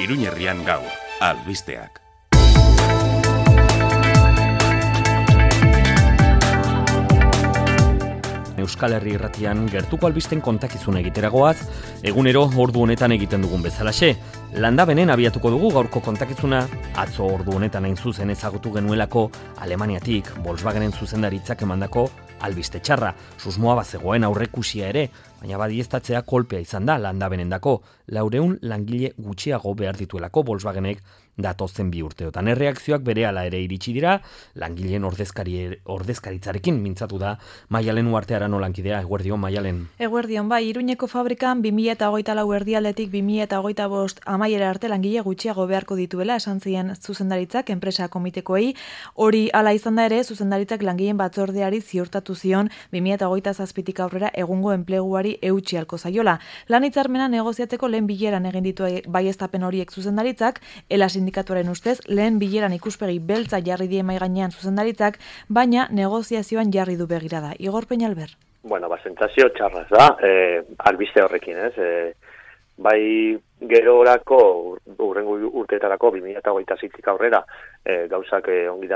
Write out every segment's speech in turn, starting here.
Iruñerrian gaur, albisteak. Euskal Herri Irratian gertuko albisten kontakizun egiteragoaz, egunero ordu honetan egiten dugun bezalaxe. Landabenen abiatuko dugu gaurko kontakizuna, atzo ordu honetan hain zuzen ezagutu genuelako Alemaniatik Volkswagenen zuzendaritzak emandako albiste txarra. Susmoa bazegoen aurrekusia ere, baina badieztatzea kolpea izan da Landabenendako. 400 langile gutxiago behar dituelako Volkswagenek datozen 2 urteotan. Erreakzioak berehala ere iritsi dira, langileen ordezkaritzarekin mintzatu da Maialen Uartearano lankidea. Eguerdion, Maialen. Eguerdion, bai, Iruñeko fabrikan 2024 erdialdetik 2025 amaiera arte langile gutxiago beharko dituela esan zien zuzendaritzak enpresa komitekoei. Hori hala izan da ere, zuzendaritzak langileen batzordeari ziurtatu zion 2027tik aurrera egungo enpleguari eutsi halko zaiola. Lan hitzarmena negoziatzeko lehen bileran egin ditu baieztapen horiek zuzendaritzak, ELA sindikatuaren ustez lehen bileran ikuspegi beltza jarri die mahai gainean zuzendaritzak, baina negoziazioan jarri du begirada. Igor Peñalver. Bueno, sentsazio txarraz da, albiste horrekin, ez? Bai gerorako, urrengo urteetarako, 2026tik aurrera, gauzak ongi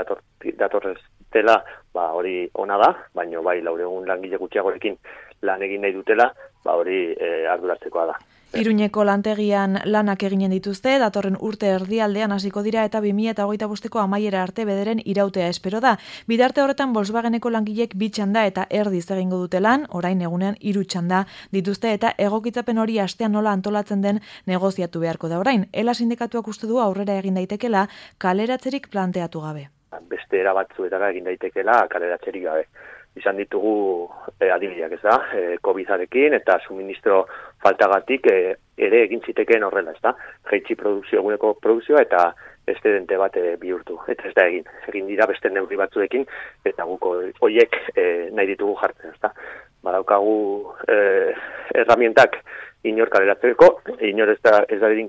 datorrez dela, hori ona da, baina bai 400 langile gutxiagorekin lan egin nahi dutela, hori arduratzekoa da. Iruñeko lantegian lanak eginen dituzte, datorren urte erdialdean hasiko dira eta 2025ko amaiera arte bederen irautea espero da. Bidarte horretan Volkswageneko langilek 2 txanda eta erdiz egingo dute lan, orain egunean 3 txanda dituzte eta egokitzapen hori astean nola antolatzen den negoziatu beharko da orain. ELA sindikatuak uste du aurrera egin daitekela kaleratzerik planteatu gabe. Beste era batzuetara egin daitekela kaleratzerik gabe. Izan ditugu adibideak, ez da, COVID-arekin eta suministro faltagatik ere egin zitekeen horrela, ez da, jaitsi eguneko produkzioa eta estedente bat bihurtu, eta ez da egin dira beste neurri batzuekin, eta guko horiek nahi ditugu jartzen, ez da. Badaukagu herramientak inor kaleratzeko, inor ez da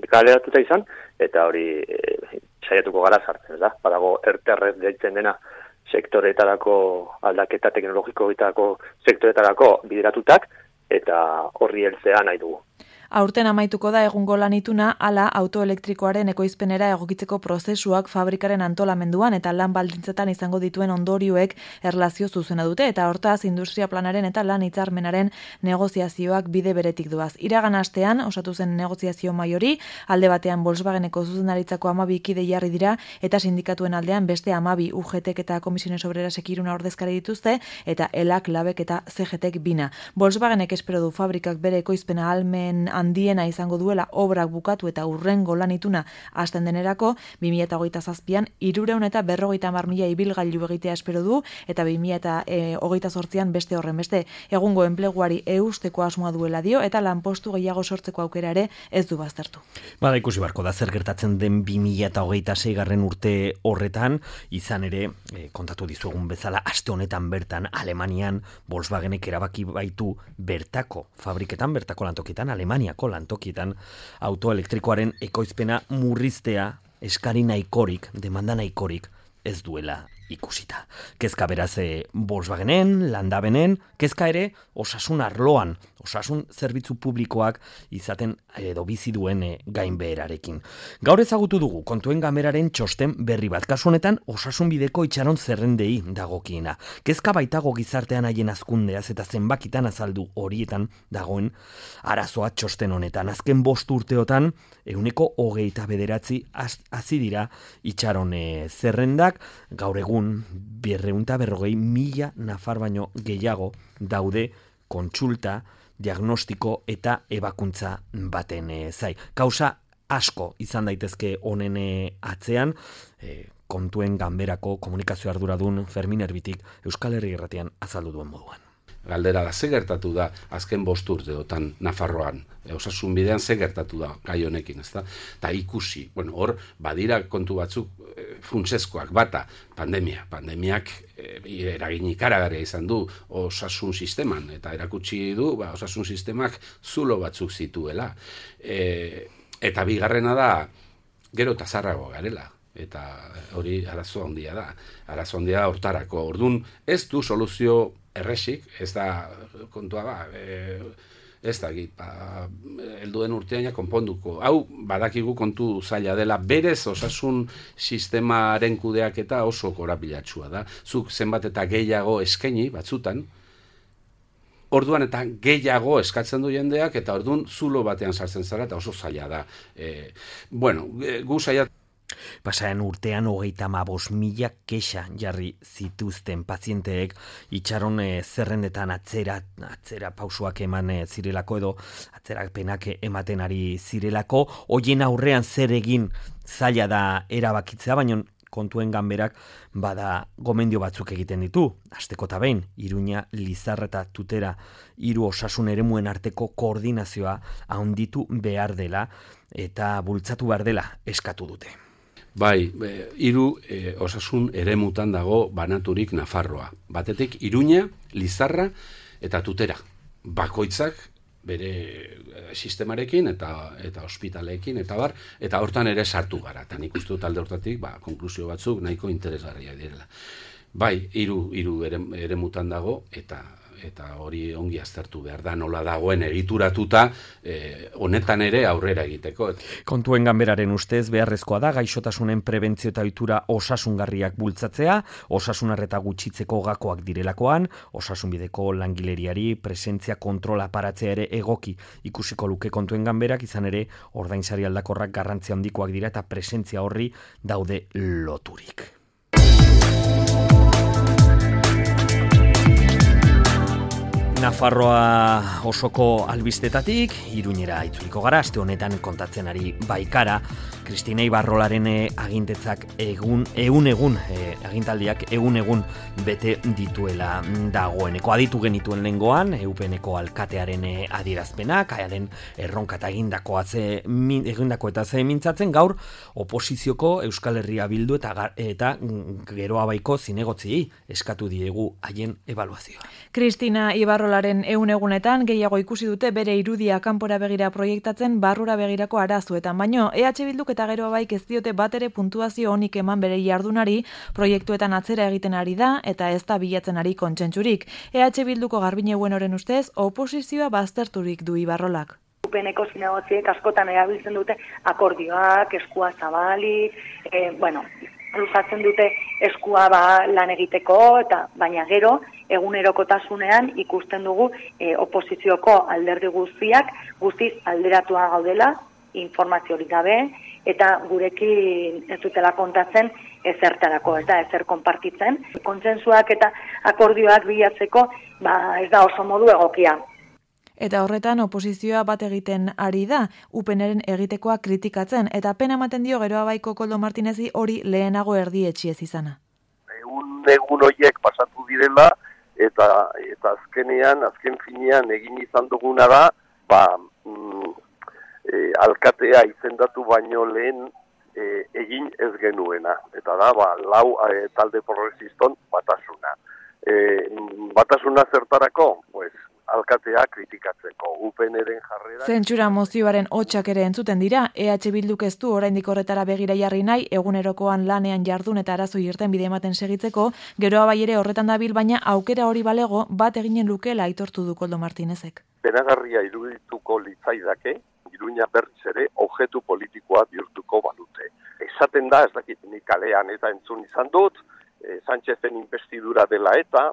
kaleratuta izan, eta hori saiatuko gara sartzen, ez da, badago erterrez deitzen dena, sektoretarako aldaketa teknologikoetarako sektoretarako bideratutak eta horri heltzea nahi dugu. Aurten amaituko da egungo lan ituna, hala autoelektrikoaren ekoizpenera egokitzeko prozesuak fabrikaren antolamenduan eta lan baldintzetan izango dituen ondorioek erlazio zuzena dute eta hortaz industria planaren eta lan hitzarmenaren negoziazioak bide beretik doaz. Iragan astean osatu zen negoziazio maiori, alde batean Volkswageneko zuzendaritzako 12 kide jarri dira eta sindikatuen aldean beste 12 UGTek eta Komisiones Obrerasek 3 ordezkari dituzte eta ELAK, LABek eta CGTek 2. Volkswagenek espero du fabrikak bere ekoizpena ahalmen handiena izango duela obrak bukatu eta urrengo lan ituna hasten denerako, 2027an 350.000 ibilgailu egitea espero du eta 2028an beste horren beste egungo enpleguari eusteko asmoa duela dio eta lanpostu gehiago sortzeko aukera ere ez du baztertu. Bada ikusi barko da zer gertatzen den 2026garren urte horretan, izan ere kontatu dizuegun bezala aste honetan bertan Alemanian Volkswagenek erabaki baitu bertako fabriketan, bertako lantokietan, Alemaniako lantokietan autoelektrikoaren ekoizpena murriztea eskari nahikorik, demanda nahikorik ez duela ikusita. Kezka beraz Volkswagenen, Landabenen, kezka ere osasun arloan, osasun zerbitzu publikoak izaten edo bizi duen gainbeherarekin. Gaur ezagutu dugu kontuen gameraren txosten berri bat, kasu honetan osasun bideko itxaron zerrendei dagokiena. Kezka baitago gizartean haien hazkundeaz eta zenbakitan azaldu horietan dagoen arazoa txosten honetan. Azken 5 urteotan 29 hasi dira itxaron zerrendak, gaur egun 240.000 nafar baino gehiago daude kontsulta, diagnostiko eta ebakuntza baten zai. Kausa asko izan daitezke honen atzean, kontuen ganberako komunikazio arduradun Fermin Erbitik Euskal Herri Irratian azaldu duen moduan. Galdera da, ze gertatu da azken 5 urteotan Nafarroan, osasun bidean ze gertatu da gai honekin, ezta? Ta ikusi, hor badira kontu batzuk funtsezkoak, bata pandemiak eragin ikaragarria izan du osasun sisteman eta erakutsi du osasun sistemak zulo batzuk zituela. Eta bigarrena da gero eta zaharrago garela. Eta hori arazo handia da. Arazo handia hortarako. Ordun ez du soluzio erresik, ez da kontua Ez dakit, helduen urtean konponduko. Hau, badakigu kontu zaila dela, berez osasun sistemaren kudeaketa oso korapilatsua da. Zuk zenbat eta gehiago eskaini, batzutan, orduan eta gehiago eskatzen du jendeak, eta orduan zulo batean sartzen zara, eta oso zaila da. Gu zaila... Pasaren urtean 35.000 kexa jarri zituzten pazienteek itxaron zerrendetan atzera pausuak eman zirelako edo atzerapenak ematen ari zirelako, hoien aurrean zer egin zaila da erabakitzea, baina kontuen ganberak bada gomendio batzuk egiten ditu. Asteko eta behin, Iruña, Lizarra eta Tutera 3 osasun eremuen arteko koordinazioa handitu behar dela eta bultzatu behar dela eskatu dute. Bai, 3 osasun eremutan dago banaturik Nafarroa. Batetik Iruña, Lizarra eta Tutera. Bakoitzak bere sistemarekin eta ospitaleekin eta bar, eta hortan ere sartu gara. Eta nik uste dut alde hortatik, konklusio batzuk nahiko interesgarriak direla. Bai, 3 eremutan dago eta hori ongi aztertu behar da, nola dagoen egituratuta honetan ere aurrera egiteko. Kontuen ganberaren ustez beharrezkoa da gaixotasunen prebentzio eta ohitura osasungarriak bultzatzea, osasun arreta gutxitzeko gakoak direlakoan, osasunbideko langileriari presentzia kontrola aparatzea ere egoki ikusiko luke kontuen ganberak, izan ere ordainsari aldakorrak garrantzia handikoak dira eta presentzia horri daude loturik. Nafarroa osoko albistetatik, Iruñera itzuliko gara, aste honetan kontatzen ari Baikara, Kristina Ibarrolaren agintetzak agintaldiak egun bete dituela dagoeneko. Aditu genituen lehengoan, EUPNeko alkatearen adierazpenak, haiaren erronka eta egindako eta ze mintzatzen, gaur oposizioko Euskal Herria Bildu eta Geroa Baiko zinegotzi eskatu diegu haien ebaluazioa. Kristina Ibarrolaren egunetan gehiago ikusi dute bere irudia kanpora begira proiektatzen barrura begirako arazuetan, baino EH Bilduk eta Geroa Baik ez diote batere puntuazio onik eman bere jardunari, proiektuetan atzera egiten ari da eta ez da bilatzen ari kontsentsurik. EH Bilduko Garbine Buenoren ustez, oposizioa bazterturik du Ibarrolak. UPNeko zinegotziek askotan erabiltzen dute akordioak, eskua zabalik, luzatzen dute eskua lan egiteko, baina gero egunerokotasunean ikusten dugu oposizioko alderdi guztiz alderatua gaudela, informazio hori gabe, eta gurekin ez dutela kontatzen ezertarako, ez da, ezer konpartitzen. Kontsentsuak eta akordioak bilatzeko ez da oso modu egokia. Eta horretan oposizioa bat egiten ari da, UPNren egitekoa kritikatzen, eta pena ematen dio Geroa Baiko Koldo Martinezi hori lehenago erdietxiez izana. Egun horiek pasatu direla, eta azken finean egin izan duguna da, alkatea izendatu baino lehen egin ez genuena. Eta da, 4 talde progresiston batasuna. Batasuna zertarako? Alkatea kritikatzeko, UPNren jarrera... Zentsura mozioaren hotsak ere entzuten dira, EH Bilduk ez du oraindik horretara begira jarri nahi, egunerokoan lanean jardun eta arazoi irtenbide ematen segitzeko, Geroa Bai ere horretan dabil, baina aukera hori balego bat eginen lukela aitortu du Koldo Martinezek. Penagarria irudituko litzaidake, Iruña berriz ere objektu politikoa bihurtuko balute. Esaten da, ez dakit nik kalean eta entzun izan dut, Sánchezen investidura dela eta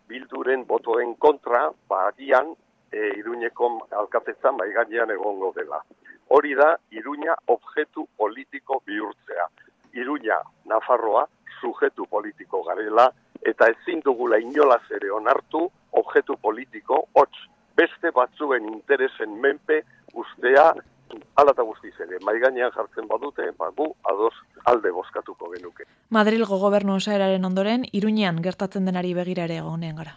Bilduren botoen kontra, agian Iruñeko alkatetzan gainean egongo dela. Hori da, Iruña objektu politiko bihurtzea. Iruña, Nafarroa, sujetu politiko garela, eta ezin dugula inolaz ere onartu objektu politiko, beste batzuen interesen menpe ustea, hala eta guztiz ere, maigainean jartzen badute, gu ados alde bozkatuko genuke. Madrilgo gobernu osaeraren ondoren, Iruñean gertatzen denari begira ere egonean gara.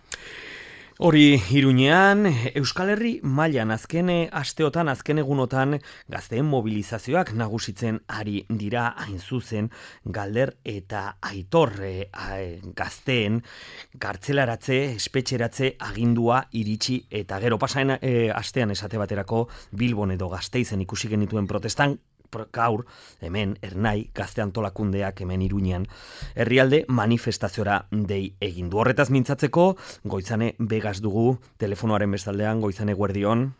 Hori Iruñean, Euskal Herri mailan azken asteotan, azken egunotan gazteen mobilizazioak nagusitzen ari dira hain zuzen Galder eta Aitor gazteen kartzelaratze, espetxeratze agindua iritsi eta gero pasaen astean esate baterako Bilbon edo Gasteizen ikusi genituen protestan gaur, hemen, Ernai, gazte antolakundeak hemen Iruñean, herrialde manifestaziora dei egindu. Horretaz mintzatzeko, Goizane Begas dugu, telefonoaren bestaldean, Goizane Guerdion.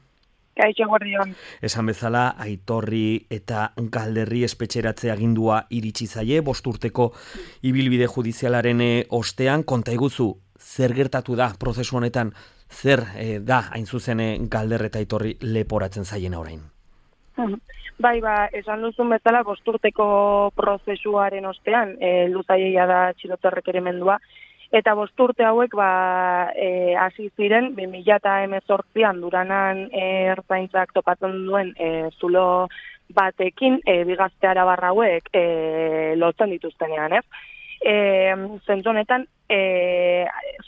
Kaixo gordion. Esan bezala, Aitorri eta Galderri espetxeratze agindua iritsi zaie, 5 urteko ibilbide judizialaren ostean. Konta iguzu, zer gertatu da prozesu honetan, zer da hain zuzen Galder eta Aitorri leporatzen zaien orain? Bai, esan duzun bezala 5 urteko prozesuaren ostean, luzaia da atxilotze errekerimendua, eta 5 urte hauek hasi ziren 2018an Duranan ertzaintzak topatzen duen zulo batekin bi gazte arabar hauek lotzen dituztenean, ez? Zentzu honetan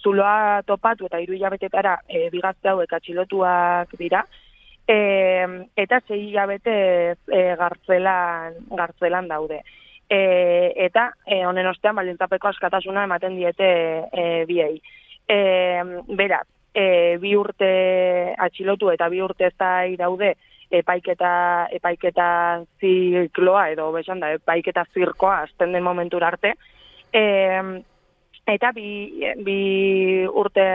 zuloa topatu eta 3 hilabetetara bi gazte hauek atxilotuak dira, eta 6 hilabete gartzelan daude. Eta honen ostean baldintzapeko askatasuna ematen diete biei. Beraz, 2 urte atxilotu eta 2 urte zai daude epaiketa zikloa edo besanda epaiketa zirkoa azten den momentura arte. Eta bi urte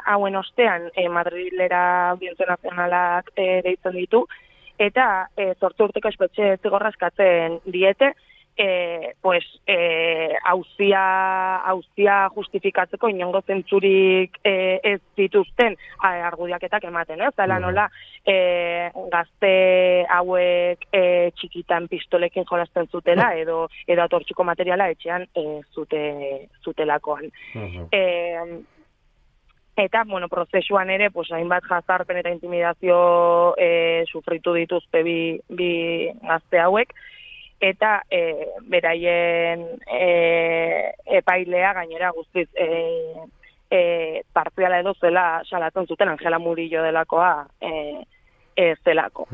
hauen ostean Madrilera Audientzia Nazionalak deitzen ditu, eta 8 urteko espetxe zigorra eskatzen diete, auzia justifikatzeko inongo zentzurik ez dituzten argudiaketak ematen, ez? Dela nola gazte hauek txikitan pistolekin jolasten zutela edo atortxuko materiala etxean zutelakoan. Eta, prozesuan ere, hainbat jazarpen eta intimidazio sufritu dituzte bi gazte hauek, eta beraien epailea gainera guztiz partziala edo zela salatzen zuten Angela Murillo delakoa zelako.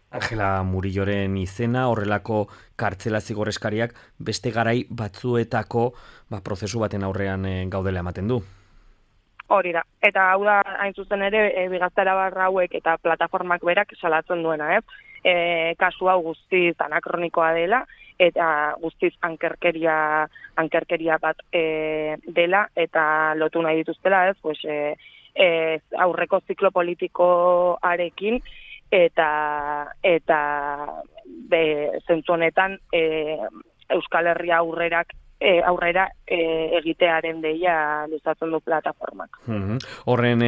Angela Murilloren izena, horrelako kartzela zigorreskariak beste garai batzuetako prozesu baten aurrean gaudela ematen du. Hori da, eta hau da hain zuzen ere bigaztara barra hauek eta plataformak berak salatzen duena, ez? Kasu hau guztiz anakronikoa dela eta guztiz ankerkeria bat dela eta lotu nahi dituztela, ez? Aurreko ziklo politikoarekin eta zentzu honetan Euskal Herria aurrera egitearen deia luzatzen du plataformak. Horren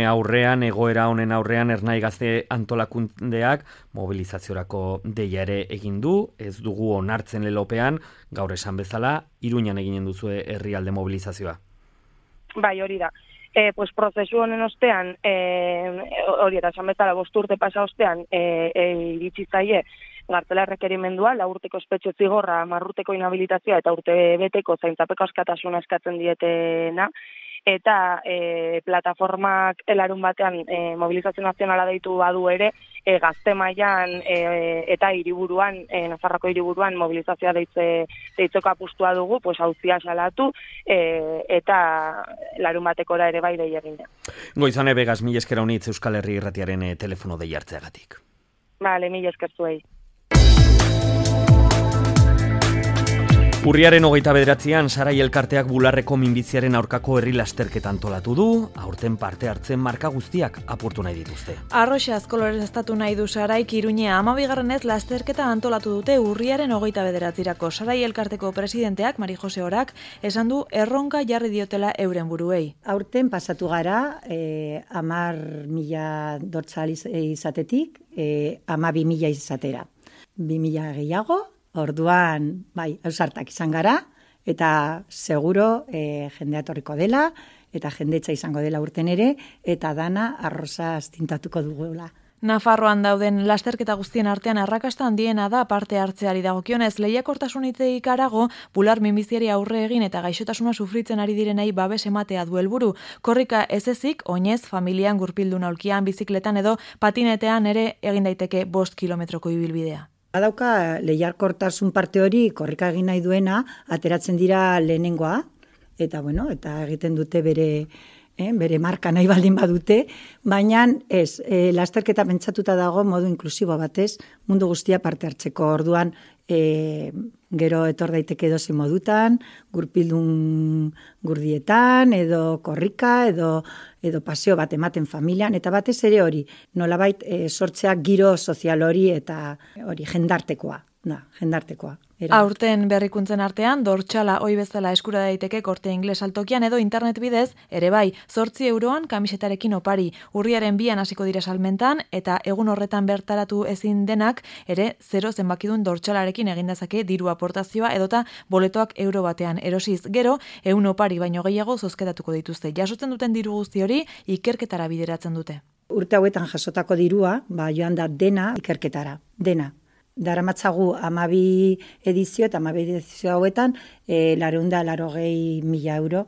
aurrean, egoera honen aurrean, Ernai Gazte antolakundeak mobilizaziorako deia ere egin du, ez dugu onartzen lelopean, gaur esan bezala, Iruñan eginen duzue herrialde mobilizazioa. Bai, hori da. Prozesu honen ostean, hori eta esan bezala 5 urte pasa ostean, iritsi zaie gartzela errekerimendua, 4 urteko espetxe zigorra, 10 urteko inhabilitazioa eta urtebeteko zaintzapeko askatasuna eskatzen dietena, eta plataformak larun batean mobilizazio nazionala deitu badu ere, gazte mailan eta hiriburuan, Nafarroako hiriburuan mobilizazioa deitzeko apustua dugu, auzia salatu eta larun batekora ere bai dei egin da. Goizane Begas, mila esker honitz Euskal Herri Irratiaren telefono dei hartzeagatik. Bale, mila esker zuei. Urriaren 29an Sarai Elkarteak Bularreko minbiziaren aurkako herri lasterketa antolatu du, aurten parte hartzen marka guztiak apurtu nahi dituzte. Arroxe azkolorez estatu nahi du Saraik Iruñea 12. lasterketa antolatu dute urriaren 29irako. Sarai Elkarteko presidenteak, Mari Jose Orak, esan du erronka jarri diotela euren buruei. Aurten pasatu gara 10.000 dortzal izatetik 12.000 izatera. 2.000 gehiago. Orduan, ausartak izan gara, eta seguro jendea etorriko dela, eta jendetza izango dela urten ere, eta dana arroza astintatuko dugula. Nafarroan dauden lasterketa guztien artean arrakasta handiena da parte hartzeari dagokionez, lehiakortasun hitzeik harago, bular minbiziari aurre egin eta gaixotasuna sufritzen ari direnei babes ematea du helburu. Korrika ez ezik, oinez, familian, gurpildun aulkian, bizikletan edo patinetean ere egin daiteke 5 kilometroko ibilbidea. Badauka lehiakortasun parte hori korrika egin nahi duena, ateratzen dira lehenengoa, eta egiten dute bere bere marka nahi baldin badute, baina ez, lasterketa pentsatuta dago modu inklusibo batez, mundu guztia parte hartzeko. Orduan, gero etor daiteke edozein modutan, gurpildun gurdietan, edo korrika, edo paseo bat ematen familian, eta batez ere hori, nolabait sortzea giro sozial hori eta hori jendartekoa. Aurten berrikuntzen artean, dortxala ohi bezala eskura daiteke Korte Ingles altokian edo internet bidez, ere bai, 8 euroan kamisetarekin opari. Urriaren 2an hasiko dira salmentan, eta egun horretan bertaratu ezin denak, ere 0 zenbakidun dortxalarekin egin dezake diru aportazioa edota boletoak euro batean erosiz. Gero, 100 opari baino gehiago zozketatuko dituzte. Jasotzen duten diru guzti hori ikerketara bideratzen dute. Urte hauetan jasotako dirua, joan da dena ikerketara, dena. Daramatzagu 12 edizio eta 12 edizio hauetan 480.000 euro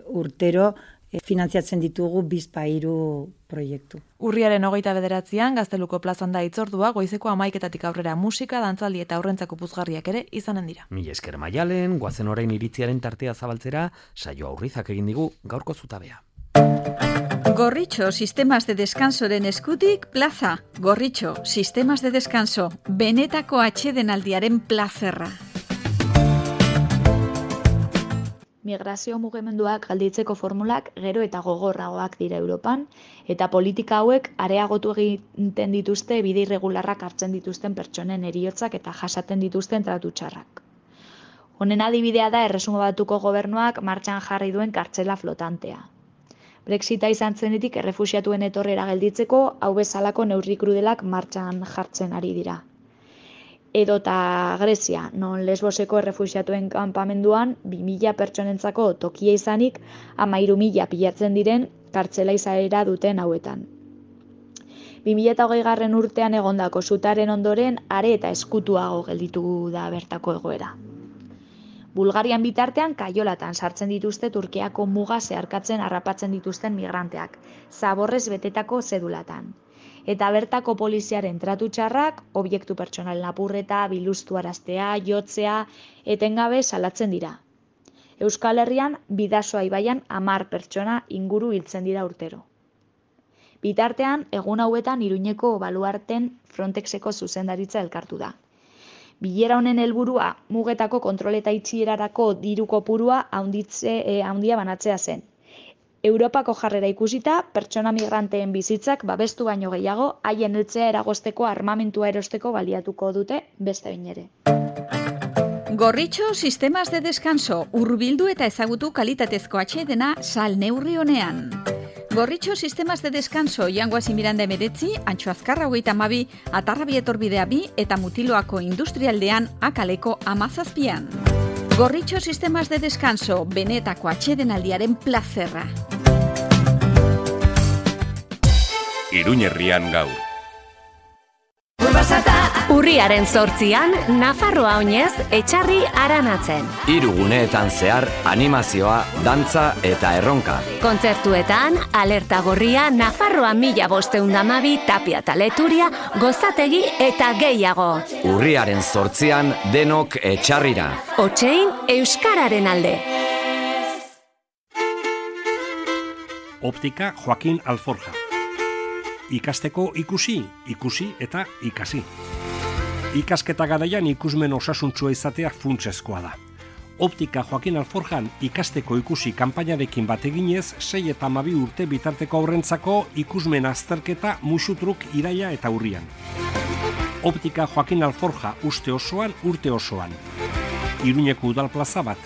urtero finantziatzen ditugu bizpahiru proiektu. Urriaren 29an Gazteluko plazan da hitzordua, goizeko 11 aurrera musika, dantzaldi eta aurrentzako puzgarriak ere izanen dira. Mila esker Maialen, goazen orain iritziaren tartea zabaltzera, saio aurrizak egin digu gaurko zutabea. Gorritxo Sistemas de Descansoren eskutik plaza. Gorritxo Sistemas de Descanso, benetako atsedenaldiaren plazerra. Migrazio mugimenduak galditzeko formulak gero eta gogorragoak dira Europan, eta politika hauek areagotu egiten dituzte bide irregularrak hartzen dituzten pertsonen heriotzak eta jasaten dituzten tratu txarrak. Honen adibidea da Erresuma Batuko gobernuak martxan jarri duen kartzela flotantea. Brexita izan zenetik errefuxiatuen etorrera gelditzeko hau bezalako neurri krudelak martxan jartzen ari dira. Edota Grezia, non Lesboseko errefuxiatuen kanpamenduan 2000 pertsonentzako tokia izanik 13.000 pilatzen diren kartzela izaera duten hauetan. 2020 urtean egondako sutaren ondoren are eta eskutuago gelditu da bertako egoera. Bulgarian bitartean kaiolatan sartzen dituzte Turkiako muga zeharkatzen harrapatzen dituzten migranteak, zaborrez betetako zedulatan. Eta bertako poliziaren tratu txarrak, objektu pertsonal lapurreta, biluztuaraztea, jotzea, etengabe salatzen dira. Euskal Herrian, Bidasoa ibaian 10 pertsona inguru hiltzen dira urtero. Bitartean, egun hauetan Iruñeko baluarten Frontexeko zuzendaritza elkartu da. Bilera honen helburua mugetako kontroleta itxierarako diru kopurua handia banatzea zen. Europako jarrera ikusita, pertsona migranteen bizitzak babestu baino gehiago, haien heltzea eragozteko armamentua erosteko baliatuko dute beste behin ere. Gorritxo Sistemas de Descanso, hurbildu eta ezagutu kalitatezko atsedena sal neurri honean. Gorritxo Sistemas de Descanso, Jangoazi Miranda 19, Antxo Azkarra 32, Atarrabi etorbidea 2 eta Mutiloako industrialdean Akaleko 17. Gorritxo Sistemas de Descanso, benetako atsedenaldiaren plazerra. Iruñerrian gaur. Urriaren 8an, Nafarroa oinez etxarri aranatzen. 3 guneetan zehar animazioa, dantza eta erronka. Kontzertuetan, alerta gorria, Nafarroa 1512 Tapia eta Leturia, Gozategi eta gehiago. Urriaren 8an, denok etxarrira. Otsein, Euskararen alde. Optika Joaquin Alforja. Ikasteko ikusi eta ikasi. Ikasketa garaian ikusmen osasuntsua izatea funtsezkoa da. Optika Joaquin Alforjan ikasteko ikusi kanpainarekin bat eginez 6 eta 12 urte bitarteko aurrentzako ikusmen azterketa musutruk iraila eta urrian. Optika Joaquin Alforja uste osoan, urte osoan. Iruñeko udal plaza bat.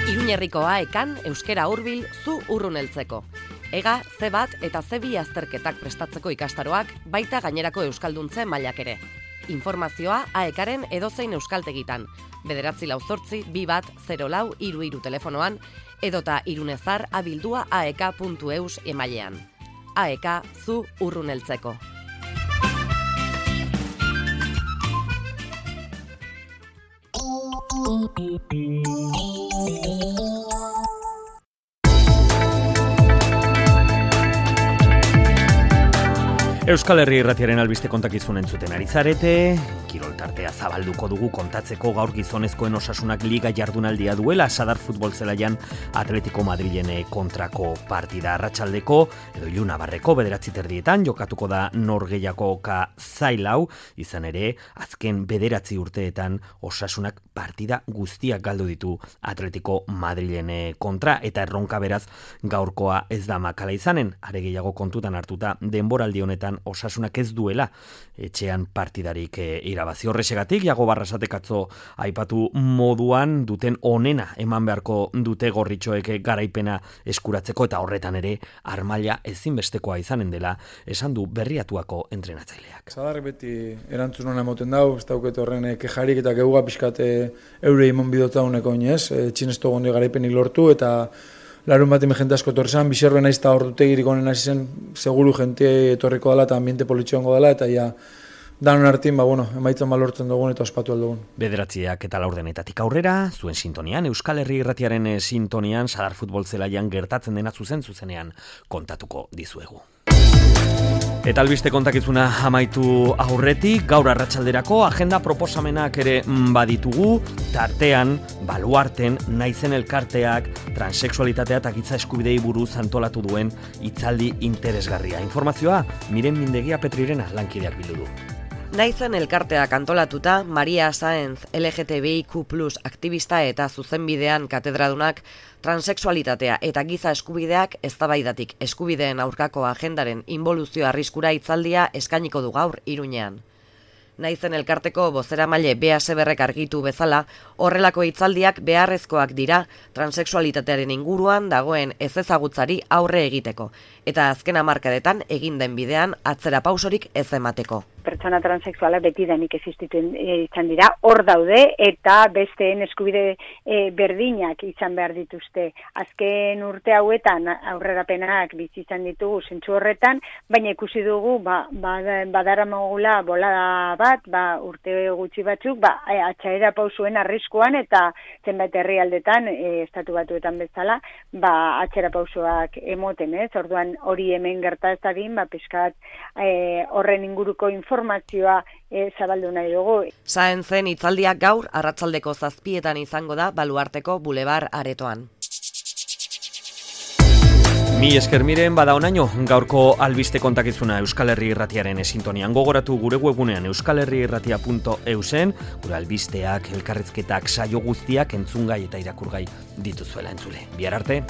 Iruñerriko AEkan euskera hurbil zu urrun heltzeko. Ega, C1 eta C2 azterketak prestatzeko ikastaroak, baita gainerako euskalduntze mailak ere. Informazioa AEkaren edozein euskaltegitan, 988-2104-33 telefonoan, edota irunezar abildua aek.eus emailean. AEka zu urrun heltzeko. Euskal Herri Irratiaren albiste kontakizun entzuten ari zarete, kirol tartea zabalduko dugu kontatzeko gaur gizonezkoen Osasunak liga jardunaldia duela Sadar futbol zelaian Atletico Madrilen kontrako partida arratsaldeko edo Ilunabarreko 9:30 jokatuko da norgehiagoka zailau, izan ere azken 9 urteetan Osasunak partida guztiak galdu ditu Atletico Madrilen kontra eta erronka beraz gaurkoa ez da makala izanen, are gehiago kontutan hartuta denboraldi honetan Osasunak ez duela etxean partidarik irabazi. Horrexegatik Iago Barrasatek atzo aipatu moduan duten onena eman beharko dute gorritxoek garaipena eskuratzeko eta horretan ere armaila ezinbestekoa izanen dela esan du Berriatuako entrenatzaileak. Sadarrek beti erantzun ona emoten dau, ez dauket horren kejarik eta geuga pixkat eure imon bidotzauneko inez, txinesto gondi garaipenik lortu eta larun bat jente asko torrezan, bizerben naiz eta ordutegirik honen hasi zen, seguru jente etorriko dela eta ambiente politxoango dela eta ja danon hartin, emaitzen balortzen dugun eta ospatu aldugun. 9:00 eta 4:00 aurrera, zuen sintonian, Euskal Herri Irratiaren sintonian, Sadar futbol zelaian gertatzen dena zuzenean kontatuko dizuegu. Eta albiste kontakizuna amaitu aurretik, gaur arratsalderako agenda proposamenak ere baditugu, tartean, baluarten, naizen elkarteak, transexualitatea eta giza eskubidei buruz antolatu duen hitzaldi interesgarria. Informazioa, Miren Mindegia Petrirena lankideak bildu du. Naizen elkarteak antolatuta, Maria Sáenz, LGTBIQ+ aktivista eta zuzenbidean katedradunak, transexualitatea eta giza eskubideak eztabaidatik eskubideen aurkako agendaren inboluzio arriskura hitzaldia eskainiko du gaur Iruñean. Naizen elkarteko bozeramaile Bea Seberrek argitu bezala, horrelako hitzaldiak beharrezkoak dira transexualitatearen inguruan dagoen ezezagutzari aurre egiteko, eta azken hamarkadetan egin den bidean atzera pausorik ez emateko. Pertsona transexualak betidanik existituen izan dira, hor daude eta besteen eskubide berdinak izan behar dituzte. Azken urte hauetan aurrerapenak bizi izan ditugu zentzu horretan, baina ikusi dugu badaramagula bolada bat, urte gutxi batzuk, atxaera pausuen arriskuan eta zenbait herrialdetan, estatu batuetan bezala, atxera pausoak emoten, ez? Orduan hori hemen gerta ez dadin, pixkat horren inguruko informazioa zabaldu nahi dugu. Sáenzen hitzaldiak gaur arratsaldeko 7:00 izango da Baluarteko Bulebar aretoan. Mi esker Miren, bada onaino, gaurko albiste kontakizuna Euskal Herri Irratiaren sintonian. Gogoratu gure webgunean euskalherriirratia.eusen, gure albisteak, elkarrizketak, saio guztiak entzungai eta irakurgai dituzuela entzule. Bihar arte.